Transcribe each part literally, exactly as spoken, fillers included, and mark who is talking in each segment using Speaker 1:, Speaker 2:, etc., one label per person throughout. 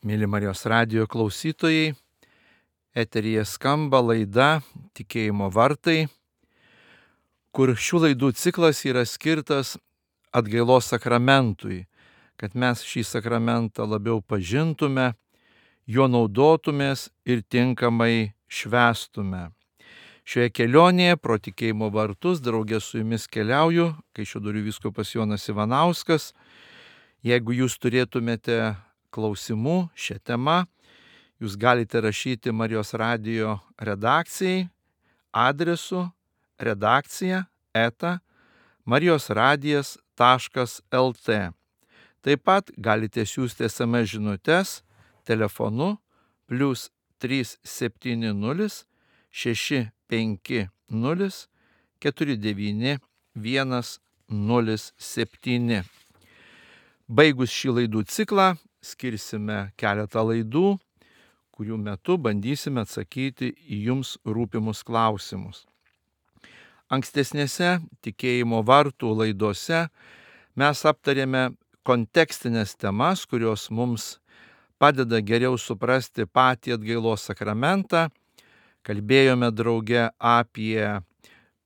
Speaker 1: Mėly Marijos radijo klausytojai, eteryje skamba laida Tikėjimo vartai, kur šių laidų ciklas yra skirtas atgailos sakramentui, kad mes šį sakramentą labiau pažintume, juo naudotumės ir tinkamai švęstume. Šioje kelionėje pro tikėjimo vartus draugė su jumis keliauju, Kaišiadorių vyskupas Jonas Ivanauskas. Jeigu jūs turėtumėte klausimų šią temą, jūs galite rašyti Marijos radijo redakcijai adresu redakcija eta marijosradijas taškas lt. Taip pat galite siųsti es em es žinutes telefonu plius trys septyni nulis šeši penki nulis keturi devyni vienas nulis septyni. Baigus šį laidų ciklą, skirsime keletą laidų, kurių metu bandysime atsakyti į jums rūpimus klausimus. Ankstesnėse tikėjimo vartų laidose mes aptarėme kontekstinės temas, kurios mums padeda geriau suprasti patį atgailos sakramentą. Kalbėjome drauge apie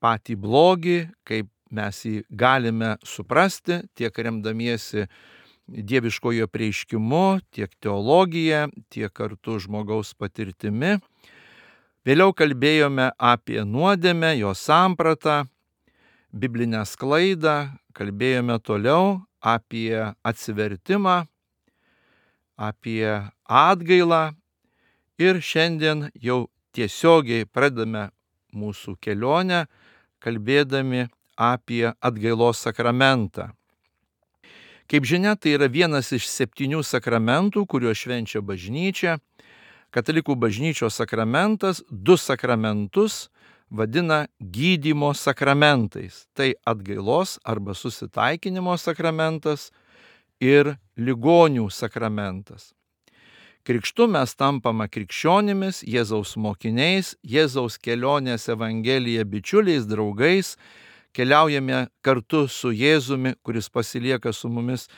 Speaker 1: patį blogį, kaip mes jį galime suprasti, tiek remdamiesi dieviškojo prieiškimu, tiek teologija, tiek kartu žmogaus patirtimi. Vėliau kalbėjome apie nuodėmę, jos sampratą, biblinę sklaidą, kalbėjome toliau apie atsivertimą, apie atgailą ir šiandien jau tiesiogiai pradame mūsų kelionę, kalbėdami apie atgailos sakramentą. Kaip žinia, tai yra vienas iš septynių sakramentų, kuriuos švenčia bažnyčia. Katalikų bažnyčios sakramentas du sakramentus vadina gydymo sakramentais. Tai atgailos arba susitaikinimo sakramentas ir ligonių sakramentas. Krikštu mes tampame krikščionimis, Jėzaus mokiniais, Jėzaus kelionės Evangelija bičiuliais, draugais, keliaujame kartu su Jėzumi, kuris pasilieka su mumis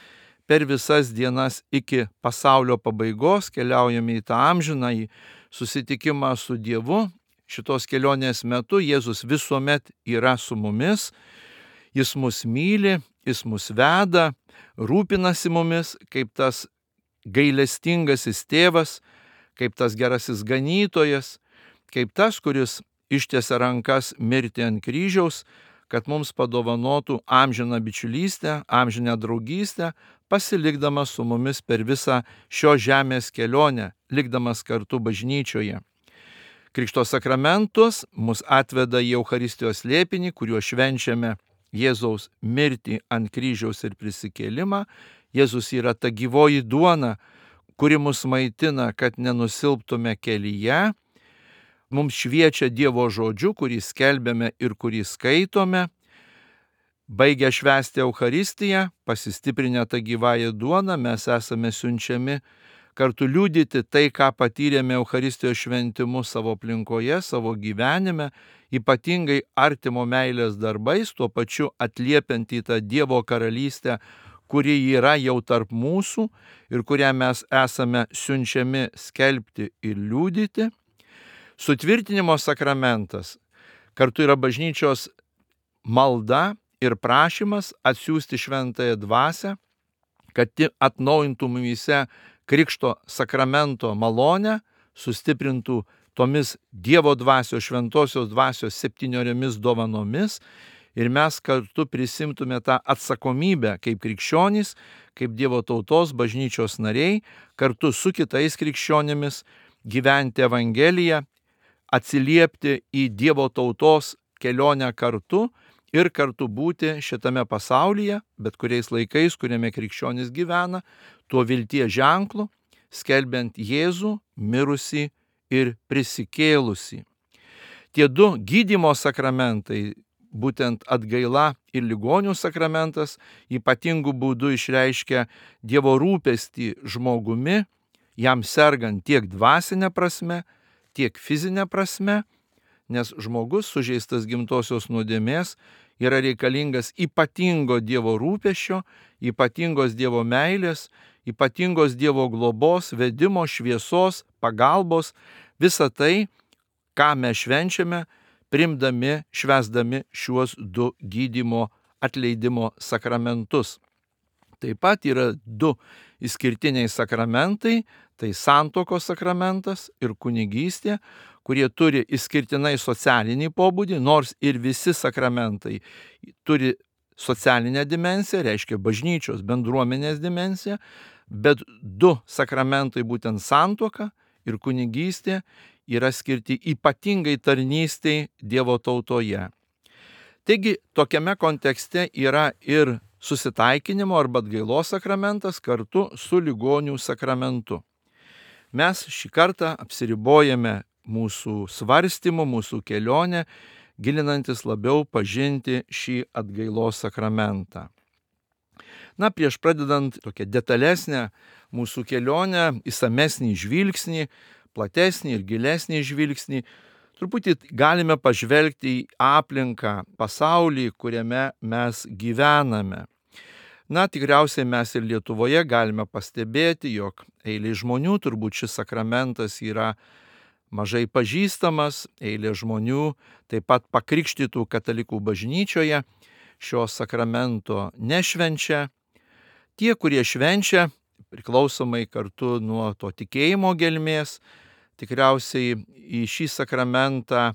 Speaker 1: per visas dienas iki pasaulio pabaigos, keliaujame į tą amžinąjį susitikimą su Dievu. Šitos kelionės metu Jėzus visuomet yra su mumis, jis mus myli, jis mus veda, rūpinasi mumis kaip tas gailestingasis tėvas, kaip tas gerasis ganytojas, kaip tas, kuris ištiesia rankas mirti ant kryžiaus, kad mums padovanotų amžiną bičiulystę, amžinę draugystę, pasilikdamas su mumis per visą šio žemės kelionę, likdamas kartu bažnyčioje. Krikšto sakramentus mus atveda į Eucharistijos slėpinį, kuriuo švenčiame Jėzaus mirtį ant kryžiaus ir prisikėlimą. Jėzus yra ta gyvoji duona, kuri mus maitina, kad nenusilptume kelyje. Mums šviečia Dievo žodžiu, kurį skelbiame ir kurį skaitome. Baigę švęsti Eucharistiją, pasistiprinę tą gyvąją duoną, mes esame siunčiami kartu liudyti tai, ką patyrėme Eucharistijos šventimu savo aplinkoje, savo gyvenime, ypatingai artimo meilės darbais, tuo pačiu atliepiant į tą Dievo karalystę, kuri yra jau tarp mūsų ir kurią mes esame siunčiami skelbti ir liudyti. Sutvirtinimo sakramentas kartu yra bažnyčios malda ir prašymas atsiųsti šventąją dvasią, kad ji atnaujintų mumyse krikšto sakramento malonę, sustiprintų tomis Dievo dvasios, šventosios dvasios septyniomis dovanomis ir mes kartu prisimtume tą atsakomybę kaip krikščionys, kaip Dievo tautos bažnyčios nariai, kartu su kitais krikščionimis gyventi Evangeliją, atsiliepti į Dievo tautos kelionę kartu ir kartu būti šitame pasaulyje, bet kuriais laikais, kuriame krikščionis gyvena, tuo vilties ženklu, skelbiant Jėzų, mirusį ir prisikėlusį. Tie du gydymo sakramentai, būtent atgaila ir ligonių sakramentas, ypatingų būdų išreiškia Dievo rūpestį žmogumi, jam sergant tiek dvasinę prasme, tiek fizinę prasme, nes žmogus sužeistas gimtosios nuodėmės yra reikalingas ypatingo Dievo rūpesčio, ypatingos Dievo meilės, ypatingos Dievo globos, vedimo, šviesos, pagalbos, visa tai, ką mes švenčiame, priimdami, švęsdami šiuos du gydymo atleidimo sakramentus. Taip pat yra du išskirtiniai sakramentai, tai santuokos sakramentas ir kunigystė, kurie turi išskirtinai socialinį pobūdį, nors ir visi sakramentai turi socialinę dimensiją, reiškia bažnyčios bendruomenės dimensiją, bet du sakramentai, būtent santuoka ir kunigystė, yra skirti ypatingai tarnystei Dievo tautoje. Taigi, tokiame kontekste yra ir susitaikinimo arba atgailos sakramentas kartu su ligonių sakramentu. Mes šį kartą apsiribojame mūsų svarstymu, mūsų kelionę, gilinantis labiau pažinti šį atgailos sakramentą. Na, prieš pradedant tokią detalesnę mūsų kelionę, išsamesnį žvilgsnį, platesnį ir gilesnį žvilgsnį, truputį galime pažvelgti į aplinką, pasaulį, kuriame mes gyvename. Na, tikriausiai mes ir Lietuvoje galime pastebėti, jog eilė žmonių turbūt šis sakramentas yra mažai pažįstamas, eilė žmonių taip pat pakrikštytų katalikų bažnyčioje šio sakramento nešvenčia. Tie, kurie švenčia, priklausomai kartu nuo to tikėjimo gelmės, tikriausiai į šį sakramentą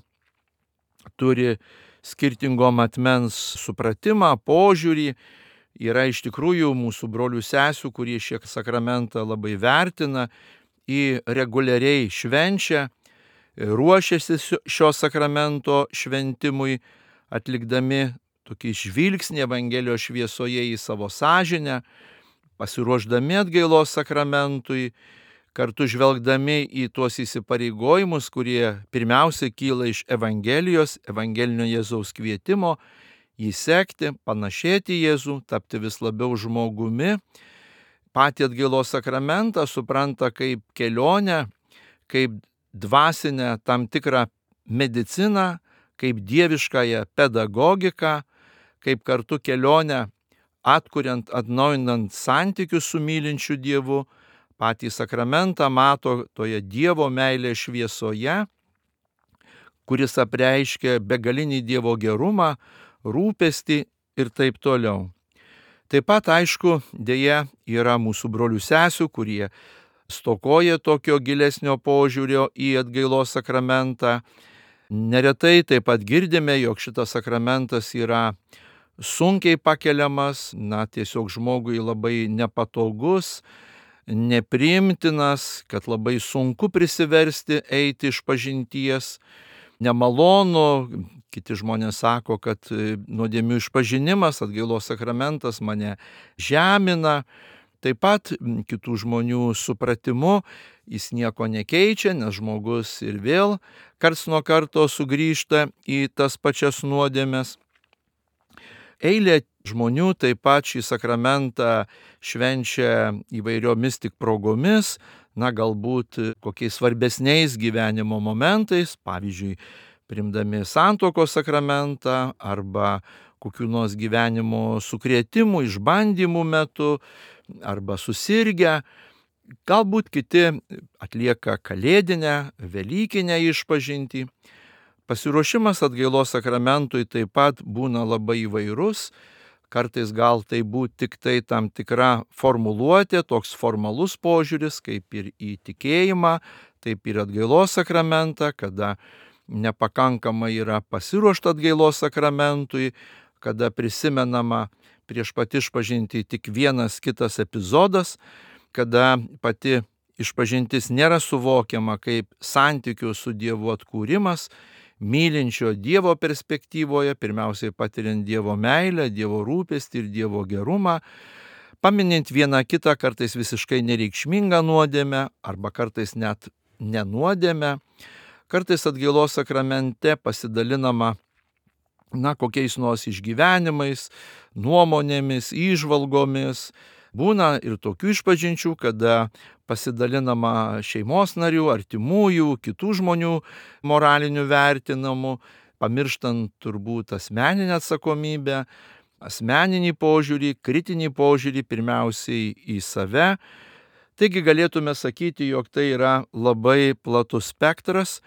Speaker 1: turi skirtingo matmens supratimą, požiūrį. Yra iš tikrųjų mūsų brolių sesių, kurie šį sakramentą labai vertina, jį reguliariai švenčia, ruošiasi šio sakramento šventimui, atlikdami tokį žvilgsnį Evangelijos šviesoje į savo sąžinę, pasiruošdami atgailos sakramentui, kartu žvelgdami į tuos įsipareigojimus, kurie pirmiausia kyla iš Evangelijos, evangelinio Jėzaus kvietimo, jį sekti, panašėti Jėzų, tapti vis labiau žmogumi. Patį atgailos sakramentą supranta kaip kelionę, kaip dvasinę tam tikrą mediciną, kaip dieviškąją pedagogiką, kaip kartu kelionę atkuriant, atnaujinant santykius su mylinčiu Dievu. Patį sakramentą mato toje Dievo meilės šviesoje, kuris apreiškia begalinį Dievo gerumą, rūpestį ir taip toliau. Taip pat, aišku, dėja yra mūsų brolių sesių, kurie stokoja tokio gilesnio požiūrio į atgailos sakramentą. Neretai taip pat girdime, jog šitas sakramentas yra sunkiai pakeliamas, na, tiesiog žmogui labai nepatogus, nepriimtinas, kad labai sunku prisiversti eiti iš pažinties, nemalonu. Kiti žmonės sako, kad nuodėmių išpažinimas, atgailos sakramentas mane žemina. Taip pat kitų žmonių supratimu jis nieko nekeičia, nes žmogus ir vėl karts nuo karto sugrįžta į tas pačias nuodėmes. Eilė žmonių taip pat šį sakramentą švenčia įvairiomis tik progomis, na, galbūt kokiais svarbesniais gyvenimo momentais, pavyzdžiui, priimdami santuokos sakramentą arba kokių nors gyvenimo sukrėtimų, išbandymų metu arba susirgę. Galbūt kiti atlieka kalėdinę, velykinę išpažintį. Pasiruošimas atgailos sakramentui taip pat būna labai įvairus. Kartais gal tai būtų tik tai tam tikra formuluotė, toks formalus požiūris, kaip ir į tikėjimą, taip ir atgailos sakramentą, kada nepakankamai yra pasiruošta atgailos sakramentui, kada prisimenama prieš pat išpažintį tik vienas kitas epizodas, kada pati išpažintis nėra suvokiama kaip santykių su Dievu atkūrimas, mylinčio Dievo perspektyvoje, pirmiausiai patiriant Dievo meilę, Dievo rūpestį ir Dievo gerumą, paminint vieną kitą kartais visiškai nereikšmingą nuodėmę arba kartais net nenuodėmę. Kartais atgailos sakramente pasidalinama, na, kokiais nors išgyvenimais, nuomonėmis, įžvalgomis. Būna ir tokių išpažinčių, kada pasidalinama šeimos narių, artimųjų, kitų žmonių moralinių vertinamų, pamirštant turbūt asmeninę atsakomybę, asmeninį požiūrį, kritinį požiūrį pirmiausiai į save, Taigi galėtume sakyti, jog tai yra labai platus spektras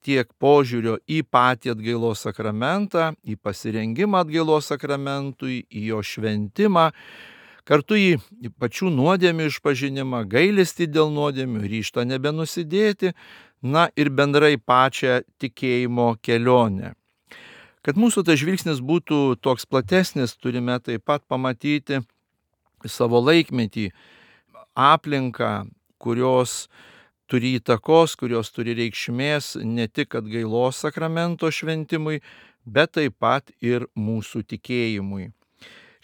Speaker 1: tiek požiūrio į patį atgailos sakramentą, į pasirengimą atgailos sakramentui, į jo šventimą, kartu į pačių nuodėmių išpažinimą, gailestį dėl nuodėmių, ryžtą nebenusidėti, na ir bendrai pačią tikėjimo kelionę. Kad mūsų tas žvilgsnis būtų toks platesnis, turime taip pat pamatyti savo laikmetį, aplinką, kurios turi įtakos, kurios turi reikšmės ne tik atgailos sakramento šventimui, bet taip pat ir mūsų tikėjimui.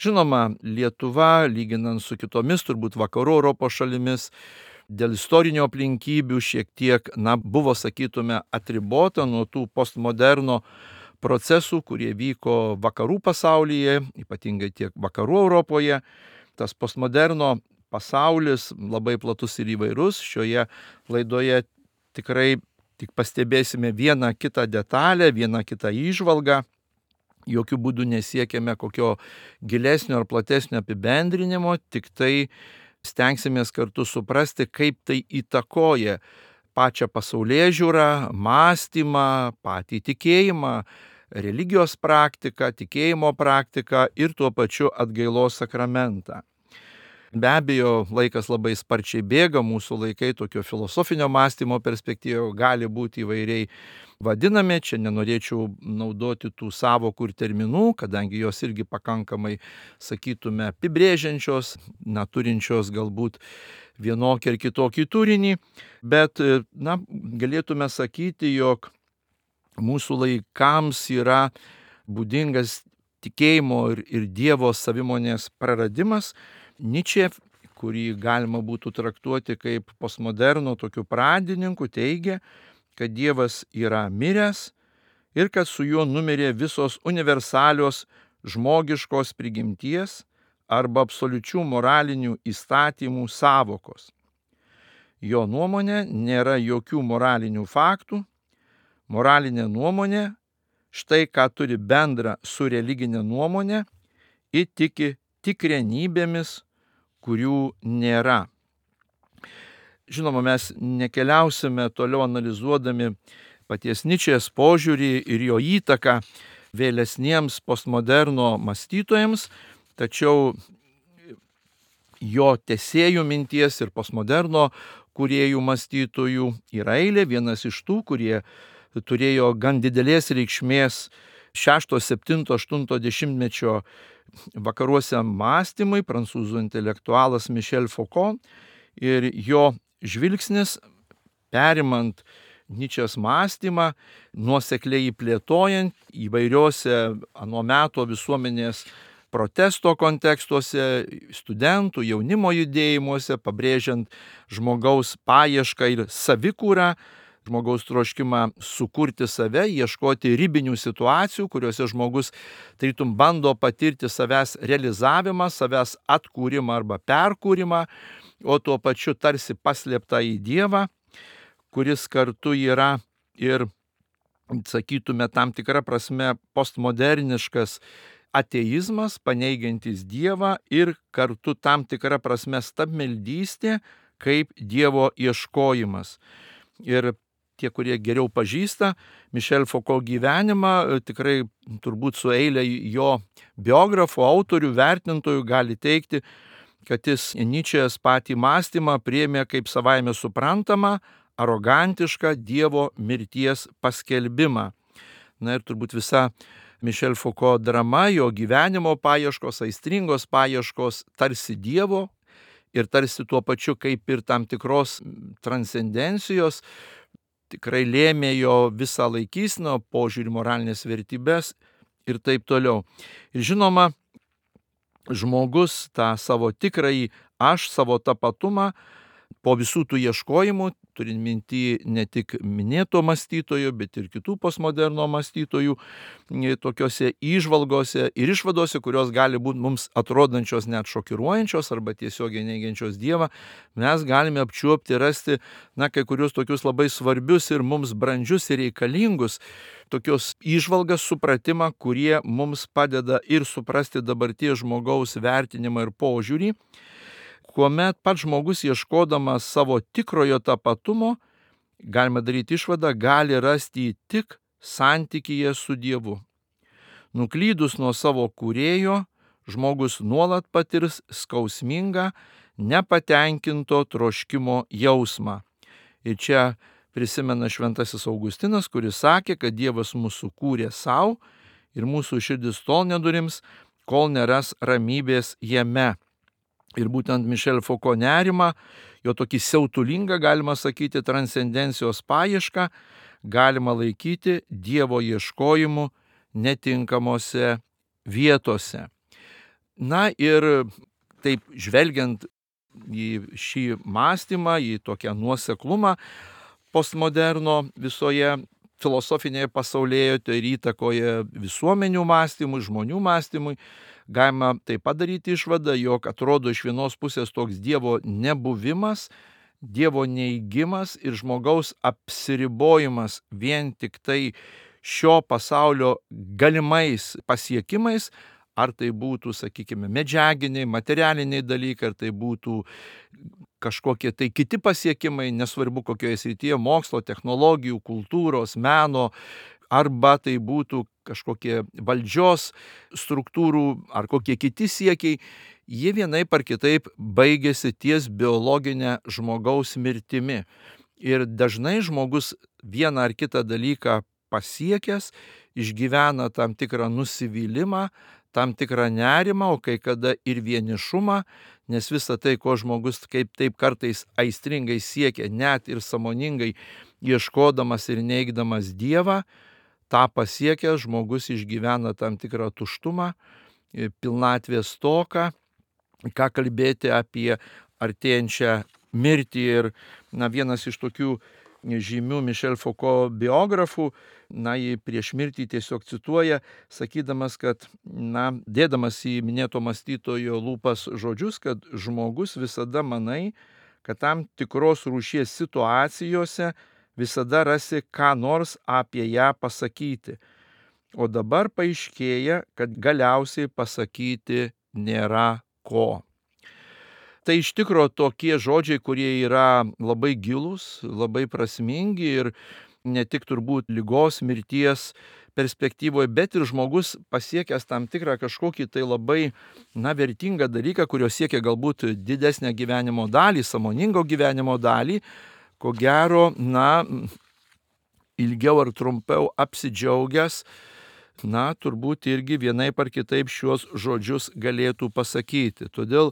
Speaker 1: Žinoma, Lietuva, lyginant su kitomis turbūt vakarų Europos šalimis, dėl istorinių aplinkybių šiek tiek, na, buvo, sakytume, atribota nuo tų postmoderno procesų, kurie vyko vakarų pasaulyje, ypatingai tiek vakarų Europoje. Tas postmoderno pasaulis labai platus ir įvairus. Šioje laidoje tikrai tik pastebėsime vieną kitą detalę, vieną kitą įžvalgą. Jokių būdų nesiekėme kokio gilesnio ar platesnio apibendrinimo, tik tai stengsimės kartu suprasti, kaip tai įtakoja pačią pasaulėžiūrą, mąstymą, patį tikėjimą, religijos praktiką, tikėjimo praktiką ir tuo pačiu atgailos sakramentą. Be abejo, laikas labai sparčiai bėga, mūsų laikai tokio filosofinio mąstymo perspektyvoje gali būti įvairiai vadinami. Čia nenorėčiau naudoti tų sąvokų ir terminų, kadangi jos irgi pakankamai, sakytume, apibrėžiančios, na, turinčios galbūt vienokį ar kitokį turinį, bet, na, galėtume sakyti, jog mūsų laikams yra būdingas tikėjimo ir, ir Dievo savimonės praradimas. Nyčė, kurį galima būtų traktuoti kaip postmoderno tokių pradininkų, teigia, kad Dievas yra miręs ir kad su juo numirė visos universalios žmogiškos prigimties arba absoliučių moralinių įstatymų sąvokos. Jo nuomonė nėra jokių moralinių faktų. Moralinė nuomonė, štai ką turi bendra su religinė nuomonė, įtiki tikrenybėmis, kurių nėra. Žinoma, mes nekeliausime toliau analizuodami paties Nyčės požiūrį ir jo įtaką vėlesniems postmoderno mąstytojams, tačiau jo tęsėjų minties ir postmoderno kūrėjų mąstytojų yra eilė. Vienas iš tų, kurie turėjo gan didelės reikšmės šešto, septinto, aštunto dešimtmečio vakaruose mąstymai, prancūzų intelektualas Michel Foucault, ir jo žvilgsnis, perimant Nyčės mąstymą, nuosekliai plėtojant įvairiose ano meto visuomenės protesto kontekstuose, studentų, jaunimo judėjimuose, pabrėžiant žmogaus paiešką ir savikūrą, žmogaus troškimą sukurti save, ieškoti ribinių situacijų, kuriuose žmogus tarytum bando patirti savęs realizavimą, savęs atkūrimą arba perkūrimą, o tuo pačiu tarsi paslėptą į Dievą, kuris kartu yra ir, sakytume, tam tikra prasme postmoderniškas ateizmas, paneigiantis Dievą ir kartu tam tikra prasme stabmeldystė kaip Dievo ieškojimas. Ir tie, kurie geriau pažįsta Michel Foucault gyvenimą, tikrai turbūt su eilė jo biografų, autorių, vertintojų gali teikti, kad jis Nyčės patį mąstymą priėmė kaip savaime suprantamą, arogantišką Dievo mirties paskelbimą. Na ir turbūt visa Michel Foucault drama, jo gyvenimo paieškos, aistringos paieškos tarsi Dievo ir tarsi tuo pačiu kaip ir tam tikros transcendencijos, tikrai lėmė jo visą laikyseną, požiūrį, moralinės vertybės ir taip toliau. Ir žinoma, žmogus tą savo tikrąjį aš, savo tapatumą, po visų tų ieškojimų, turint minty ne tik minėto mąstytojo, bet ir kitų postmoderno mąstytojų, tokiose įžvalgose ir išvadose, kurios gali būti mums atrodančios net šokiruojančios arba tiesiogiai neigiančios Dievą, mes galime apčiuopti, rasti, na, kai kurios tokius labai svarbius ir mums brandžius ir reikalingus tokios įžvalgas, supratimą, kurie mums padeda ir suprasti dabarties žmogaus vertinimą ir požiūrį. kuomet pats žmogus ieškodamas savo tikrojo tapatumo, galima daryti išvadą, gali rasti jį tik santykyje su Dievu. Nuklydus nuo savo kūrėjo, žmogus nuolat patirs skausmingą, nepatenkinto troškimo jausmą. Ir čia prisimena šventasis Augustinas, kuris sakė, kad Dievas mūsų kūrė savo ir mūsų širdis tol nedurims, kol neras ramybės jame. Ir būtent Mišel Foucault nerimą, jo tokį siautulingą, galima sakyti, transcendencijos paiešką, galima laikyti Dievo ieškojimu netinkamose vietose. Na ir taip žvelgiant į šį mąstymą, į tokią nuoseklumą postmoderno visoje filosofinėje pasaulėjoje ir įtakoje visuomenių mąstymui, žmonių mąstymui, galima taip padaryti išvadą, jog atrodo iš vienos pusės toks Dievo nebuvimas, Dievo neigimas ir žmogaus apsiribojimas vien tik tai šio pasaulio galimais pasiekimais, ar tai būtų, sakykime, medžiaginiai, materialiniai dalykai, ar tai būtų kažkokie tai kiti pasiekimai, nesvarbu kokioje srityje, mokslo, technologijų, kultūros, meno, arba tai būtų kažkokie valdžios struktūrų ar kokie kiti siekiai, jie vienaip ar kitaip baigėsi ties biologinė žmogaus mirtimi. Ir dažnai žmogus vieną ar kitą dalyką pasiekęs išgyvena tam tikrą nusivylimą, tam tikrą nerimą, o kai kada ir vienišumą, nes visa tai, ko žmogus kaip taip kartais aistringai siekia, net ir sąmoningai ieškodamas ir neigdamas Dievą, tą pasiekęs žmogus išgyvena tam tikrą tuštumą, pilnatvės stoką, ką kalbėti apie artėjančią mirtį. Ir na, vienas iš tokių žymių Mišel Foucault biografų, na, jį prieš mirtį tiesiog cituoja, sakydamas, kad, na, dėdamas į minėto mąstytojo lūpas žodžius, kad žmogus visada manai, kad tam tikros rūšies situacijose visada rasi ką nors apie ją pasakyti. O dabar paaiškėja, kad galiausiai pasakyti nėra ko. Tai iš tikro tokie žodžiai, kurie yra labai gilūs, labai prasmingi ir ne tik turbūt ligos, mirties perspektyvoje, bet ir žmogus pasiekęs tam tikrą kažkokį tai labai, na, vertingą dalyką, kurio siekia galbūt didesnę gyvenimo dalį, sąmoningo gyvenimo dalį, ko gero, na, ilgiau ar trumpiau apsidžiaugęs, na, turbūt irgi vienaip ar kitaip šiuos žodžius galėtų pasakyti. Todėl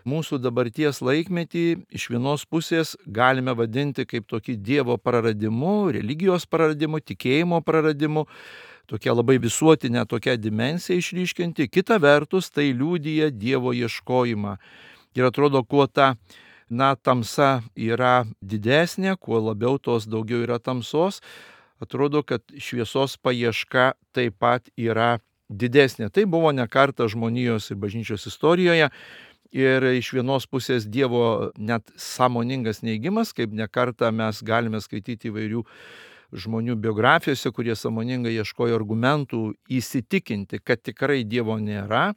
Speaker 1: mūsų dabarties laikmetį iš vienos pusės galime vadinti kaip tokį Dievo praradimu, religijos praradimu, tikėjimo praradimu, tokia labai visuotinė tokia dimensija išryškinti. Kita vertus, tai liudija Dievo ieškojimą. Ir atrodo, kuo ta, na, tamsa yra didesnė, kuo labiau tos daugiau yra tamsos, atrodo, kad šviesos paieška taip pat yra didesnė. Tai buvo ne kartą žmonijos ir bažnyčios istorijoje. Ir iš vienos pusės Dievo net sąmoningas neigimas, kaip ne kartą mes galime skaityti įvairių žmonių biografijose, kurie sąmoningai ieškojo argumentų įsitikinti, kad tikrai Dievo nėra,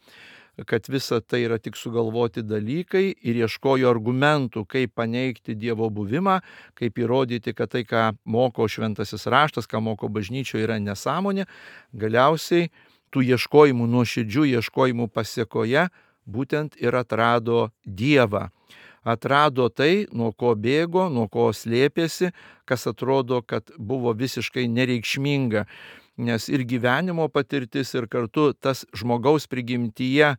Speaker 1: kad visa tai yra tik sugalvoti dalykai, ir ieškojo argumentų, kaip paneigti Dievo buvimą, kaip įrodyti, kad tai, ką moko šventasis raštas, ką moko bažnyčioje, yra nesąmonė. Galiausiai tų ieškojimų, nuoširdžių ieškojimų pasiekoje būtent ir atrado Dievą. Atrado tai, nuo ko bėgo, nuo ko slėpėsi, kas atrodo, kad buvo visiškai nereikšminga. Nes ir gyvenimo patirtis, ir kartu tas žmogaus prigimtyje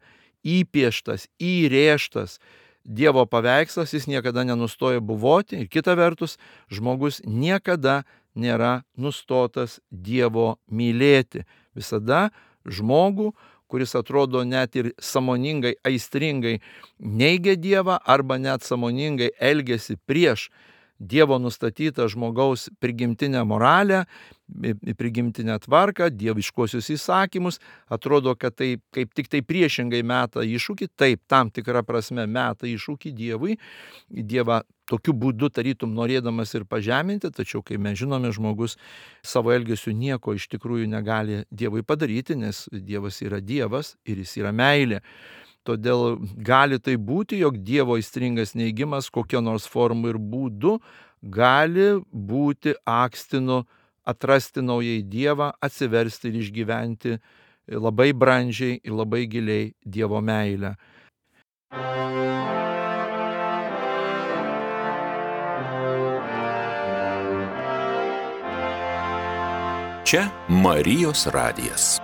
Speaker 1: įpieštas, įrėžtas Dievo paveikslas, jis niekada nenustoja buvoti. Ir kita vertus, žmogus niekada nėra nustotas Dievo mylėti. Visada žmogų, kuris atrodo net ir sąmoningai, aistringai neigia Dievą arba net sąmoningai elgiasi prieš Dievo nustatytą žmogaus prigimtinę moralę, prigimtinę tvarką, dieviškuosius įsakymus, atrodo, kad tai kaip tik tai priešingai meta iššūkį, taip, tam tikrą prasme meta iššūkį Dievui, Dievą tokiu būdu tarytum norėdamas ir pažeminti, tačiau, kai mes žinome, žmogus savo elgesiu nieko iš tikrųjų negali Dievui padaryti, nes Dievas yra Dievas ir jis yra meilė. Todėl gali tai būti, jog Dievo aistringas neigimas kokio nors formų ir būdu gali būti akstinu atrasti naujai Dievą, atsiversti ir išgyventi labai brandžiai ir labai giliai Dievo meilę.
Speaker 2: Čia Marijos radijas.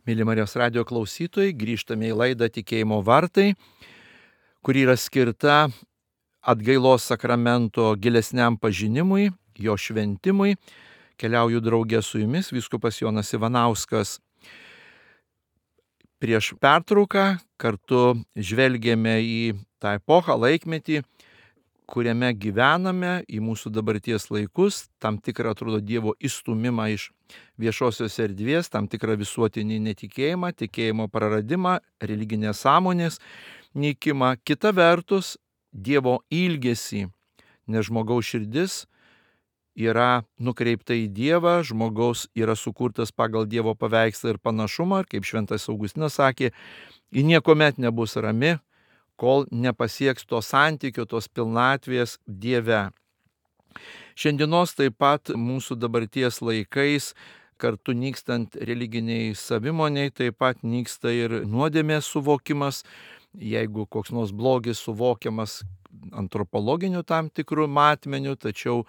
Speaker 1: Mėly Marijos radijo klausytojai, grįžtame į laidą Tikėjimo vartai, kuri yra skirta atgailos sakramento gilesniam pažinimui, jo šventimui. Keliauju draugė su jumis, vyskupas Jonas Ivanauskas. Prieš pertrauką kartu žvelgėme į tą epochą, laikmetį, kuriame gyvename, į mūsų dabarties laikus, tam tikrą, atrodo, Dievo įstumimą iš viešosios erdvės, tam tikrą visuotinį netikėjimą, tikėjimo praradimą, religinės sąmonės nykimą. Kita vertus, Dievo ilgesį, nes žmogaus širdis yra nukreipta į Dievą, žmogaus yra sukurtas pagal Dievo paveikslą ir panašumą, ir kaip šventas Augustinas sakė, ji niekuomet nebus rami, kol nepasieks to santykio, tos pilnatvės Dieve. Šiandienos taip pat mūsų dabarties laikais, kartu nykstant religiniai savimoniai, taip pat nyksta ir nuodėmės suvokimas. Jeigu koks nors blogis suvokiamas antropologiniu tam tikrų matmeniu, tačiau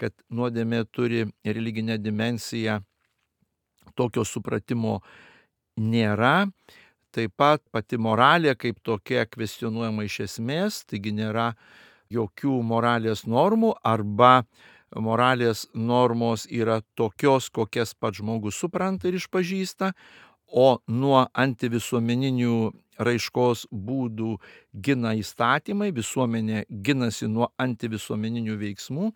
Speaker 1: kad nuodėmė turi religinę dimensiją, tokio supratimo nėra. Taip pat pati moralė kaip tokia kvestionuojama iš esmės, taigi nėra jokių moralės normų arba moralės normos yra tokios, kokias pats žmogus supranta ir išpažįsta, o nuo antivisuomeninių raiškos būdų gina įstatymai, visuomenė ginasi nuo antivisuomeninių veiksmų.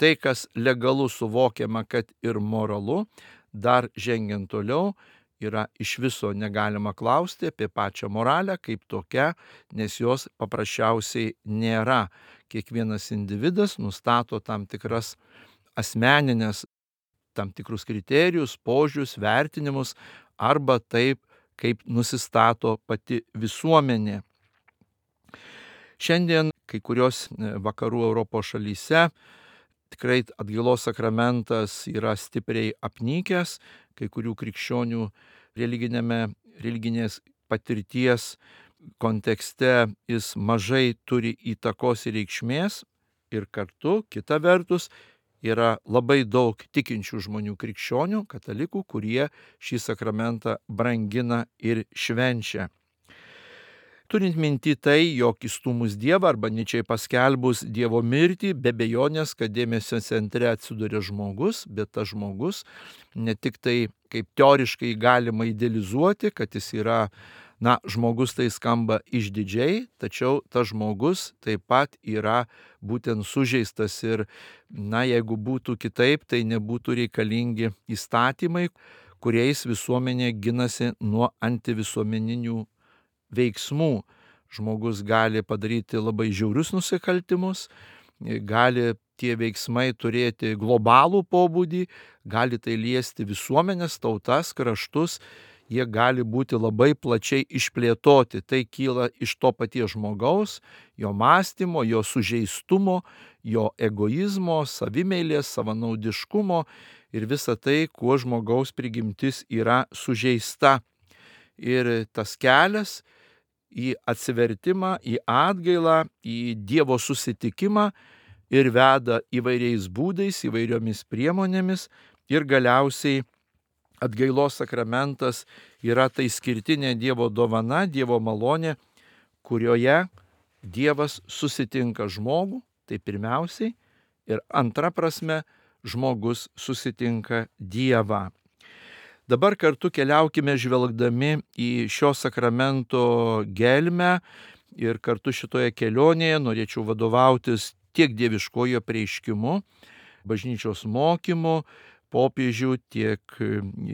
Speaker 1: Tai, kas legalu suvokiama, kad ir moralu, dar žengiant toliau, yra iš viso negalima klausti apie pačią moralę kaip tokią, nes jos paprasčiausiai nėra. Kiekvienas individas nustato tam tikras asmeninės, tam tikrus kriterijus, požiūrius, vertinimus, arba taip, kaip nusistato pati visuomenė. Šiandien kai kurios vakarų Europos šalyse tikrai atgailos sakramentas yra stipriai apnykęs, kai kurių krikščionių religinėme, religinės patirties kontekste jis mažai turi įtakos ir reikšmės, ir kartu, kita vertus, yra labai daug tikinčių žmonių krikščionių, katalikų, kurie šį sakramentą brangina ir švenčia. Turint minti tai, jog įstūmus Dievą arba ničiai paskelbus Dievo mirtį, be abejonės, kad dėmesio centre atsiduria žmogus, bet tas žmogus ne tik tai kaip teoriškai galima idealizuoti, kad jis yra, na, žmogus tai skamba išdidžiai, tačiau tas žmogus taip pat yra būtent sužeistas ir, na, jeigu būtų kitaip, tai nebūtų reikalingi įstatymai, kuriais visuomenė ginasi nuo antivisuomeninių veiksmų. Žmogus gali padaryti labai žiaurius nusikaltimus, gali tie veiksmai turėti globalų pobūdį, gali tai liesti visuomenės, tautas, kraštus, jie gali būti labai plačiai išplėtoti. Tai kyla iš to paties žmogaus, jo mąstymo, jo sužeistumo, jo egoizmo, savimeilės, savanaudiškumo ir visa tai, kuo žmogaus prigimtis yra sužeista. Ir tas kelias į atsivertimą, į atgailą, į Dievo susitikimą ir veda įvairiais būdais, įvairiomis priemonėmis ir galiausiai atgailos sakramentas yra tai skirtinė Dievo dovana, Dievo malonė, kurioje Dievas susitinka žmogų, tai pirmiausiai, ir antra prasme, žmogus susitinka Dievą. Dabar kartu keliaukime žvelgdami į šio sakramento gelmę ir kartu šitoje kelionėje norėčiau vadovautis tiek dieviškojo apreiškimu, bažnyčios mokymu, popiežių, tiek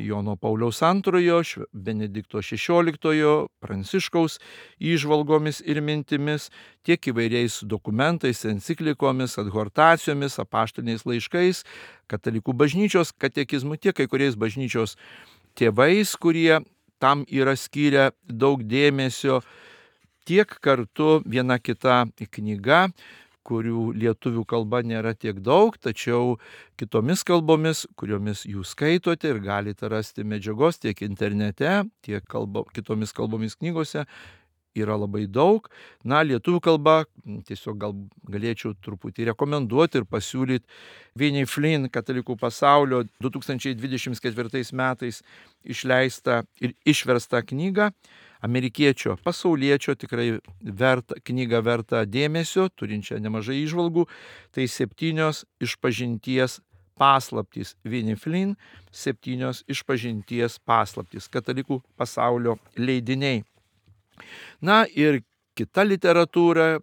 Speaker 1: Jono Pauliaus antrojo, Benedikto šešioliktojo, Pranciškaus įžvalgomis ir mintimis, tiek įvairiais dokumentais, enciklikomis, adhortacijomis, apaštaliniais laiškais, katalikų bažnyčios katekizmu, tiek kai kuriais bažnyčios tėvais, kurie tam yra skyrę daug dėmesio, tiek kartu viena kita knyga, kurių lietuvių kalba nėra tiek daug, tačiau kitomis kalbomis, kuriomis jūs skaitote ir galite rasti medžiagos tiek internete, tiek kalba, kitomis kalbomis knygose, yra labai daug. Na, lietuvių kalba tiesiog gal galėčiau truputį rekomenduoti ir pasiūlyti Vinnie Flynn, Katalikų pasaulio du tūkstančiai dvidešimt ketvirtais metais išleistą ir išverstą knygą, amerikiečio, pasauliečio, tikrai verta, knyga verta dėmesio, turinčią nemažai įžvalgų, tai septynios išpažinties paslaptys. Vinnie Flynn, septynios išpažinties paslaptys, Katalikų pasaulio leidiniai. Na ir kita literatūra,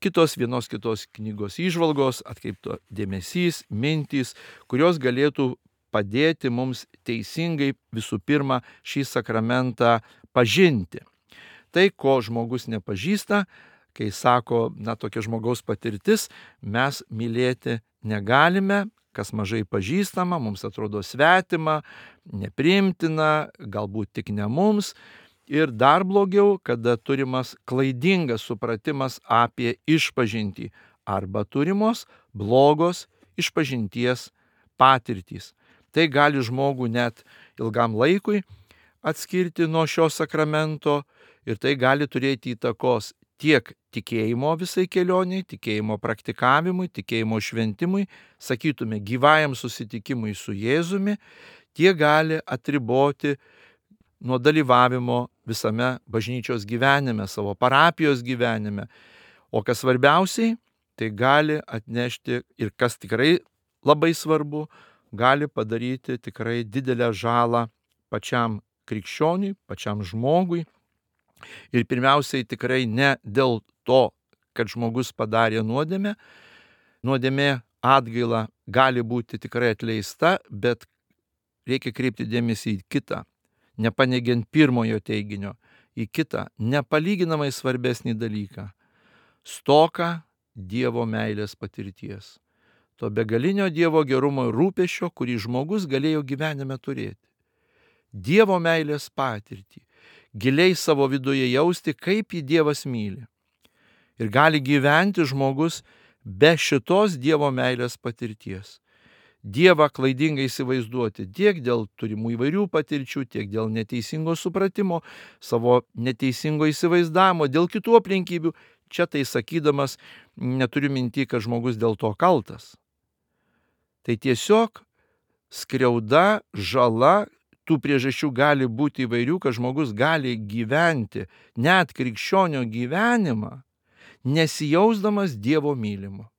Speaker 1: kitos vienos kitos knygos įžvalgos, atkreipto dėmesys, mintys, kurios galėtų padėti mums teisingai visų pirma šį sakramentą pažinti. Tai, ko žmogus nepažįsta, kai sako, na, tokia žmogaus patirtis, mes mylėti negalime, kas mažai pažįstama, mums atrodo svetima, nepriimtina, galbūt tik ne mums. Ir dar blogiau, kada turimas klaidingas supratimas apie išpažintį arba turimos blogos išpažinties patirtys. Tai gali žmogų net ilgam laikui atskirti nuo šio sakramento ir tai gali turėti įtakos tiek tikėjimo visai kelioniai, tikėjimo praktikavimui, tikėjimo šventimui, sakytume, gyvajam susitikimui su Jėzumi, tiek gali atriboti nuo dalyvavimo visame bažnyčios gyvenime, savo parapijos gyvenime. O kas svarbiausiai, tai gali atnešti ir kas tikrai labai svarbu, gali padaryti tikrai didelę žalą pačiam krikščioniui, pačiam žmogui. Ir pirmiausiai tikrai ne dėl to, kad žmogus padarė nuodėmę. Nuodėmė atgaila gali būti tikrai atleista, bet reikia kreipti dėmesį į kitą, nepaneigiant pirmojo teiginio, į kitą nepalyginamai svarbesnį dalyką – stoką Dievo meilės patirties. To begalinio Dievo gerumo ir rūpesčio, kurį žmogus galėjo gyvenime turėti. Dievo meilės patirtį, giliai savo viduje jausti, kaip jį Dievas myli. Ir gali gyventi žmogus be šitos Dievo meilės patirties. Dievą klaidingai įsivaizduoti tiek dėl turimų įvairių patirčių, tiek dėl neteisingo supratimo, savo neteisingo įsivaizdavimo, dėl kitų aplinkybių. Čia tai sakydamas neturiu minti, kad žmogus dėl to kaltas. Tai tiesiog skriauda, žala, tų priežasčių gali būti įvairių, kad žmogus gali gyventi net krikščionio gyvenimą, nesijausdamas Dievo mylimo.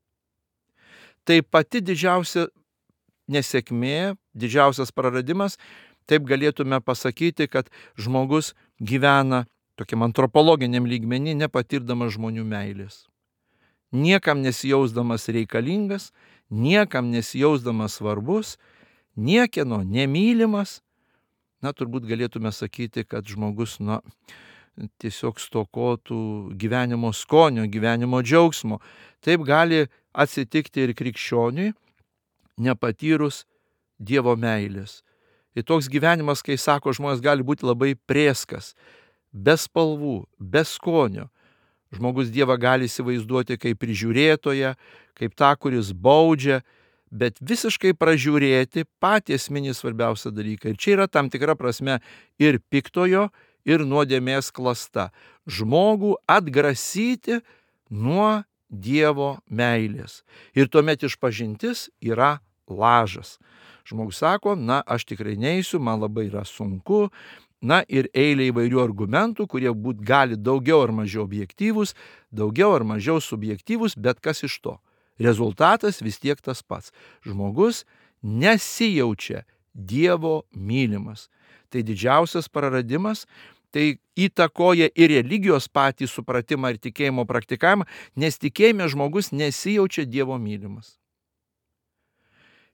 Speaker 1: Tai pati didžiausia nesėkmė, didžiausias praradimas, taip galėtume pasakyti, kad žmogus gyvena tokiam antropologiniam lygmenį, nepatirdamas žmonių meilės. Niekam nesijausdamas reikalingas, niekam nesijausdamas svarbus, niekieno nemylimas. Na, turbūt galėtume sakyti, kad žmogus, na, tiesiog stokotų gyvenimo skonio, gyvenimo džiaugsmo. Taip gali atsitikti ir krikščioniui, nepatyrus Dievo meilės. Ir toks gyvenimas, kai sako žmonės, gali būti labai prėskas, be spalvų, be skonio. Žmogus Dievą gali įsivaizduoti kaip prižiūrėtoją, kaip tą, kuris baudžia, bet visiškai pražiūrėti patį esminį svarbiausią dalyką. Ir čia yra tam tikra prasme ir piktojo, ir nuodėmės klasta. Žmogų atgrasyti nuo Dievo meilės. Ir tuomet išpažintis yra lažas. Žmogus sako, na, aš tikrai neisiu, man labai yra sunku. Na ir eilė įvairių argumentų, kurie būt gali daugiau ar mažiau objektyvūs, daugiau ar mažiau subjektyvūs, bet kas iš to? Rezultatas vis tiek tas pats. Žmogus nesijaučia Dievo mylimas. Tai didžiausias praradimas, tai įtakoja ir religijos patį supratimą ir tikėjimo praktikavimą, nes tikėjime žmogus nesijaučia Dievo mylimas.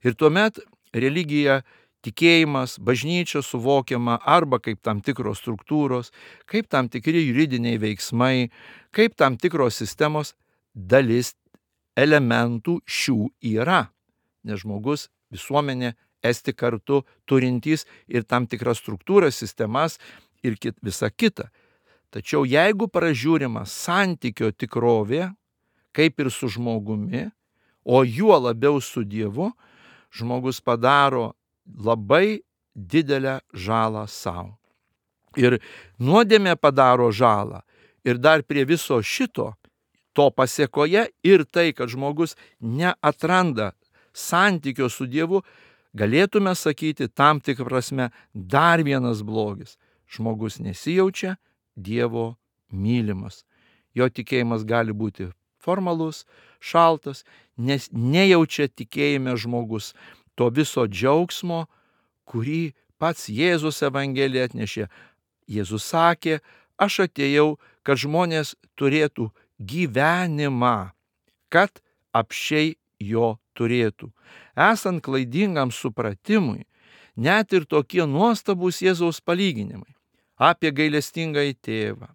Speaker 1: Ir tuomet religija, tikėjimas, bažnyčia suvokiama arba kaip tam tikros struktūros, kaip tam tikri juridiniai veiksmai, kaip tam tikros sistemos, dalis elementų šių yra. Nes žmogus, visuomenė, esti kartu turintys ir tam tikras struktūras, sistemas ir kit, visa kita. Tačiau jeigu pražiūrima santykio tikrovė, kaip ir su žmogumi, o juo labiau su Dievu, žmogus padaro labai didelę žalą savo. Ir nuodėmė padaro žalą. Ir dar prie viso šito, to pasėkoje ir tai, kad žmogus neatranda santykio su Dievu, galėtume sakyti tam tikrą prasme dar vienas blogis. Žmogus nesijaučia Dievo mylimas. Jo tikėjimas gali būti formalus, šaltas, nes nejaučia tikėjime žmogus to viso džiaugsmo, kurį pats Jėzus Evangelija atnešė. Jėzus sakė, aš atėjau, kad žmonės turėtų gyvenimą, kad apsčiai jo turėtų. Esant klaidingam supratimui, net ir tokie nuostabūs Jėzaus palyginimai apie gailestingąjį tėvą,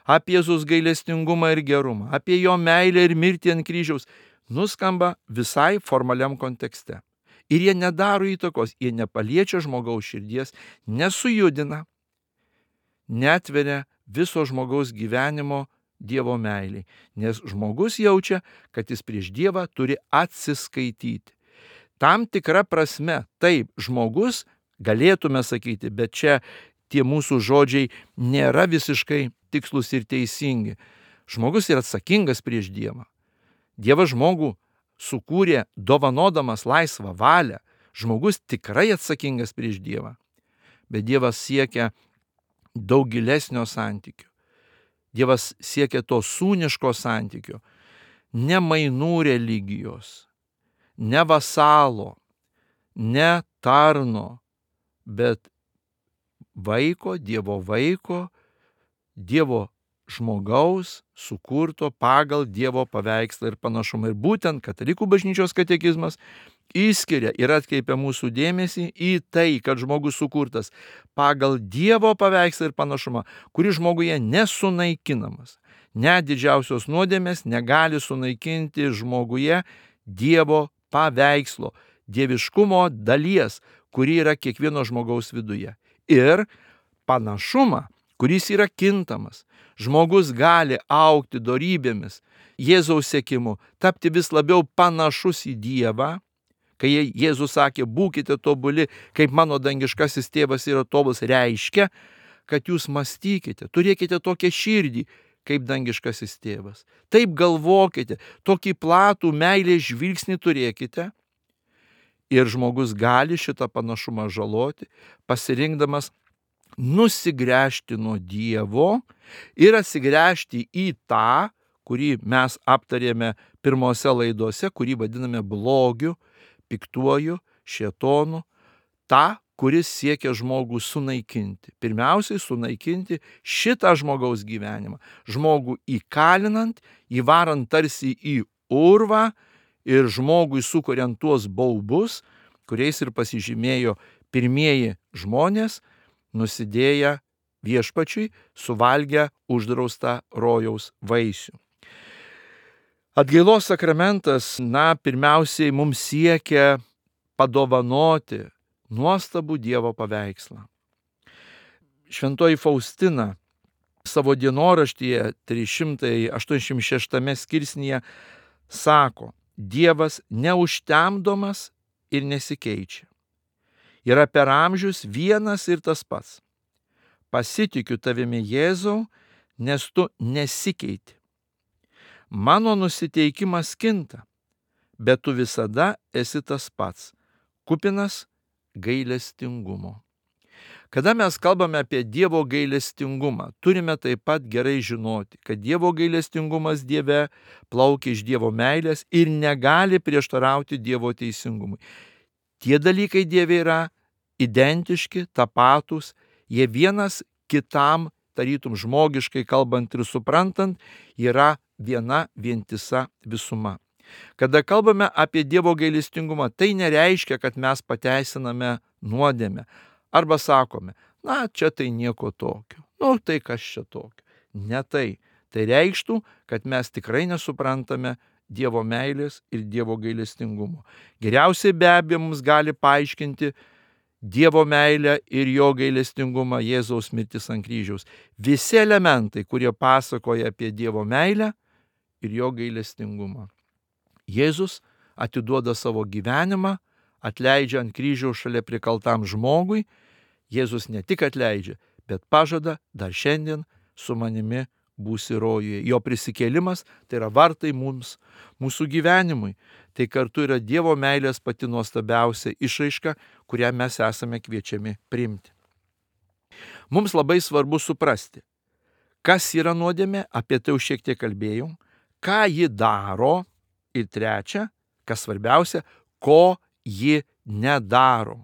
Speaker 1: apie Jėzus gailestingumą ir gerumą, apie jo meilę ir mirtį ant kryžiaus, nuskamba visai formaliam kontekste. Ir jie nedaro įtakos, jie nepaliečia žmogaus širdies, nesujudina, netveria viso žmogaus gyvenimo Dievo meiliai, nes žmogus jaučia, kad jis prieš Dievą turi atsiskaityti. Tam tikra prasme, taip, žmogus, galėtume sakyti, bet čia tie mūsų žodžiai nėra visiškai tikslus ir teisingi. Žmogus yra atsakingas prieš Dievą. Dievas žmogų sukūrė dovanodamas laisvą valią. Žmogus tikrai atsakingas prieš Dievą. Bet Dievas siekia daug gilesnio santykio. Dievas siekia to sūniško santykio, ne mainų religijos, ne vasalo, ne tarno, bet vaiko, Dievo vaiko, Dievo žmogaus sukurto pagal Dievo paveikslą ir panašumą. Ir būtent Katalikų bažnyčios katekizmas išskiria ir atkreipia mūsų dėmesį į tai, kad žmogus sukurtas pagal Dievo paveikslą ir panašumą, kuris žmoguje nesunaikinamas. Net didžiausios nuodėmės negali sunaikinti žmoguje Dievo paveikslo, dieviškumo dalies, kuri yra kiekvieno žmogaus viduje. Ir panašumą, kuris yra kintamas. Žmogus gali augti dorybėmis, Jėzaus sekimu, tapti vis labiau panašus į Dievą. Kai Jėzus sakė, būkite tobuli, kaip mano dangiškasis tėvas yra tobulas, reiškia, kad jūs mąstykite, turėkite tokią širdį, kaip dangiškasis tėvas. Taip galvokite, tokį platų meilės žvilgsnį turėkite. Ir žmogus gali šitą panašumą žaloti, pasirinkdamas nusigręžti nuo Dievo ir atsigręžti į tą, kurį mes aptarėme pirmose laidose, kurį vadiname blogiu, piktuoju, šėtonu, tą, kuris siekia žmogų sunaikinti. Pirmiausiai sunaikinti šitą žmogaus gyvenimą. Žmogų įkalinant, įvarant tarsi į urvą ir žmogui sukuriant tuos baubus, kuriais ir pasižymėjo pirmieji žmonės, nusidėję viešpačiui, suvalgę uždraustą rojaus vaisių. Atgailos sakramentas, na, pirmiausiai mums siekia padovanoti nuostabų Dievo paveikslą. Šventoji Faustina savo dienoraštyje trys šimtai aštuoniasdešimt šeštame skirsnyje sako, Dievas neužtemdomas ir nesikeičia. Yra per amžius vienas ir tas pats. Pasitikiu tavimi, Jėzau, nes tu nesikeiti. Mano nusiteikimas kinta, bet tu visada esi tas pats, kupinas gailestingumo. Kada mes kalbame apie Dievo gailestingumą, turime taip pat gerai žinoti, kad Dievo gailestingumas Dieve plaukia iš Dievo meilės ir negali prieštarauti Dievo teisingumui. Tie dalykai Dieve yra identiški, tapatūs, jie vienas kitam, tarytum žmogiškai kalbant ir suprantant, yra viena vientisa visuma. Kada kalbame apie Dievo gailestingumą, tai nereiškia, kad mes pateisiname nuodėmę. Arba sakome, na, čia tai nieko tokio. Nu, tai kas čia tokio. Ne tai. Tai reikštų, kad mes tikrai nesuprantame Dievo meilės ir Dievo gailestingumo. Geriausiai be abejo mums gali paaiškinti Dievo meilę ir jo gailestingumą Jėzaus mirtis ant kryžiaus. Visi elementai, kurie pasakoja apie Dievo meilę ir jo gailestingumą. Jėzus atiduoda savo gyvenimą, atleidžia ant kryžiaus šalia prikaltam žmogui. Jėzus ne tik atleidžia, bet pažada dar šiandien su manimi būsi rojuje. Jo prisikėlimas tai yra vartai mums, mūsų gyvenimui. Tai kartu yra Dievo meilės pati nuostabiausia išraiška, kurią mes esame kviečiami priimti. Mums labai svarbu suprasti, kas yra nuodėmė, apie tai jau šiek tiek kalbėjau, ką ji daro ir trečia, kas svarbiausia, ko ji nedaro.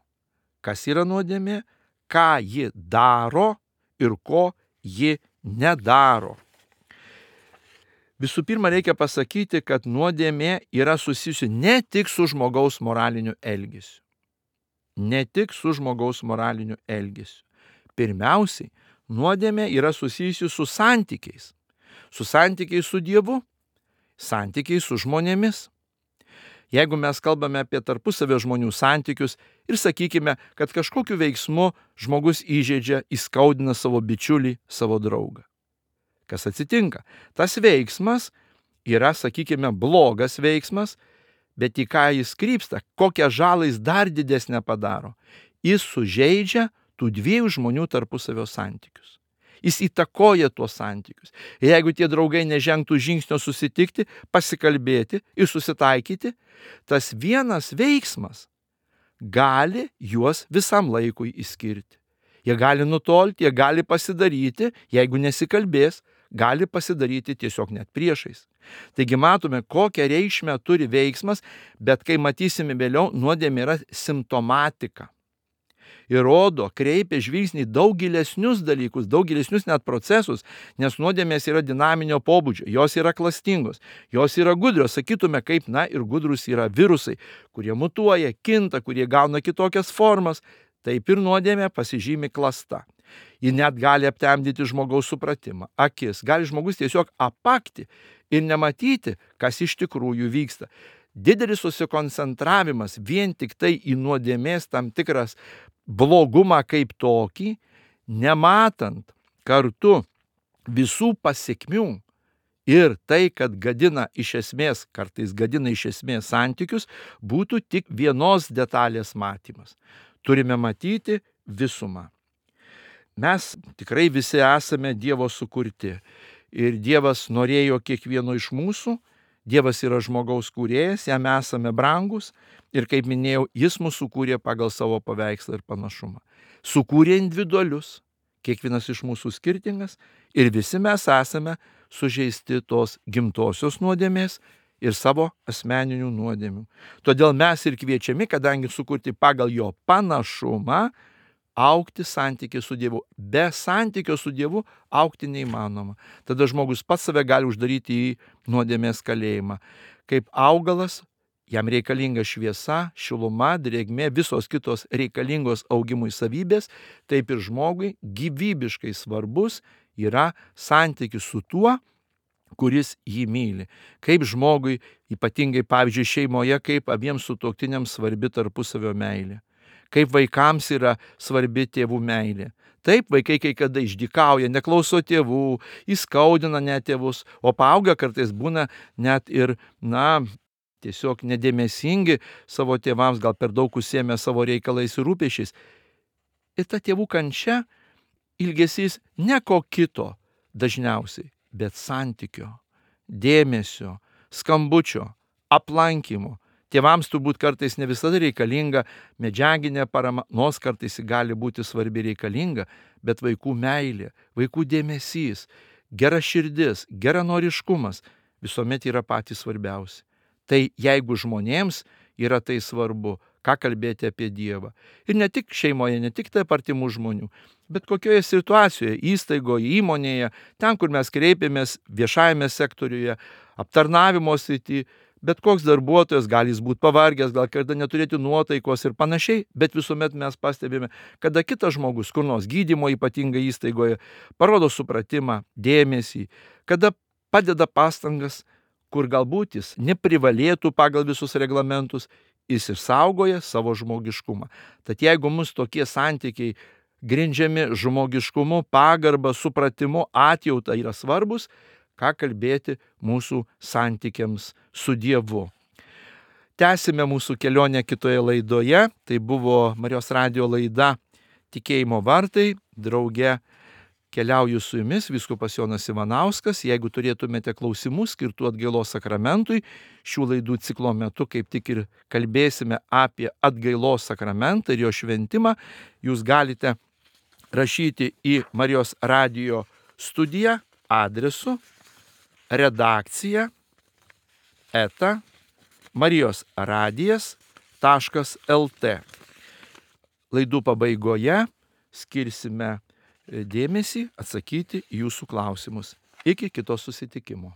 Speaker 1: Kas yra nuodėmė, ką ji daro ir ko ji nedaro. Visų pirma, reikia pasakyti, kad nuodėmė yra susijusi ne tik su žmogaus moraliniu elgesiu. Ne tik su žmogaus moraliniu elgesiu. Pirmiausiai, nuodėmė yra susijusi su santykiais. Su santykiais su Dievu, santykiais su žmonėmis. Jeigu mes kalbame apie tarpusavio žmonių santykius ir sakykime, kad kažkokiu veiksmu žmogus įžeidžia, įskaudina savo bičiulį, savo draugą. Kas atsitinka? Tas veiksmas yra, sakykime, blogas veiksmas, bet į ką jis krypsta, kokią žalą jis dar didesnę padaro. Jis sužeidžia tų dviejų žmonių tarpusavio santykius. Jis įtakoja tuos santykius. Ir jeigu tie draugai nežengtų žingsnio susitikti, pasikalbėti ir susitaikyti, tas vienas veiksmas gali juos visam laikui išskirti. Jie gali nutolti, jie gali pasidaryti, jeigu nesikalbės, gali pasidaryti tiesiog net priešais. Taigi matome, kokią reikšmę turi veiksmas, bet kai matysime vėliau, nuodėmė yra simptomatika. Ir rodo, kreipia žvilgsnį daug gilesnius dalykus, daug gilesnius net procesus, nes nuodėmės yra dinaminio pobūdžio, jos yra klastingos, jos yra gudrios, sakytume, kaip, na, ir gudrus yra virusai, kurie mutuoja, kinta, kurie gauna kitokias formas, taip ir nuodėmė pasižymi klasta. Ji net gali aptemdyti žmogaus supratimą, akis, gali žmogus tiesiog apakti ir nematyti, kas iš tikrųjų vyksta. Didelis susikoncentravimas vien tik tai į nuodėmės tam tikras blogumą kaip tokį, nematant kartu visų pasekmių ir tai, kad gadina iš esmės, kartais gadina iš esmės santykius, būtų tik vienos detalės matymas. Turime matyti visumą. Mes tikrai visi esame Dievo sukurti ir Dievas norėjo kiekvieno iš mūsų. Dievas yra žmogaus kūrėjas, jam esame brangus ir, kaip minėjau, jis mus sukūrė pagal savo paveikslą ir panašumą. Sukūrė individualius, kiekvienas iš mūsų skirtingas ir visi mes esame sužeisti tos gimtosios nuodėmės ir savo asmeninių nuodėmių. Todėl mes ir kviečiami, kadangi sukurti pagal jo panašumą, augti santykį su Dievu. Be santykio su Dievu augti neįmanoma. Tada žmogus pats save gali uždaryti į nuodėmės kalėjimą. Kaip augalas, jam reikalinga šviesa, šiluma, drėgmė, visos kitos reikalingos augimui savybės, taip ir žmogui gyvybiškai svarbus yra santykis su tuo, kuris jį myli. Kaip žmogui, ypatingai pavyzdžiui šeimoje, kaip abiems sutuoktiniams svarbi tarpusavio meilė. Kaip vaikams yra svarbi tėvų meilė. Taip, vaikai kai kada išdykauja, neklauso tėvų, įskaudina net tėvus, o paaugę kartais būna net ir, na, tiesiog nedėmesingi savo tėvams, gal per daug užsiėmę savo reikalais ir rūpesčiais. Ir ta tėvų kančia, ilgesys ne ko kito dažniausiai, bet santykio, dėmesio, skambučio, aplankymo. Tėvams turbūt kartais ne visada reikalinga medžiaginė parama, nors kartais gali būti svarbi reikalinga, bet vaikų meilė, vaikų dėmesys, gera širdis, geranoriškumas visuomet yra patys svarbiausi. Tai jeigu žmonėms yra tai svarbu, ką kalbėti apie Dievą. Ir ne tik šeimoje, ne tik tarp artimų žmonių, bet kokioje situacijoje, įstaigoje, įmonėje, ten, kur mes kreipiamės viešajame sektoriuje, aptarnavimo srity, Bet koks darbuotojas, gali jis būti pavargęs, gal kada neturėti nuotaikos ir panašiai, bet visuomet mes pastebime, kada kitas žmogus, kur nors gydymo ypatingai įstaigoje, parodo supratimą, dėmesį, kada padeda pastangas, kur galbūt jis neprivalėtų pagal visus reglamentus, jis išsaugoja savo žmogiškumą. Tad jeigu mus tokie santykiai grindžiami žmogiškumu, pagarba, supratimu, atjauta yra svarbus, ką kalbėti mūsų santykiams su Dievu. Tęsime mūsų kelionę kitoje laidoje. Tai buvo Marijos radijo laida Tikėjimo vartai. Drauge keliauju su jumis, vyskupas Jonas Ivanauskas. Jeigu turėtumėte klausimų skirtų atgailos sakramentui, šių laidų ciklo metu kaip tik ir kalbėsime apie atgailos sakramentą ir jo šventimą. Jūs galite rašyti į Marijos radijo studiją adresu redakcija eta marijosradijas taškas lt. Laidų pabaigoje skirsime dėmesį atsakyti į jūsų klausimus. Iki kito susitikimo.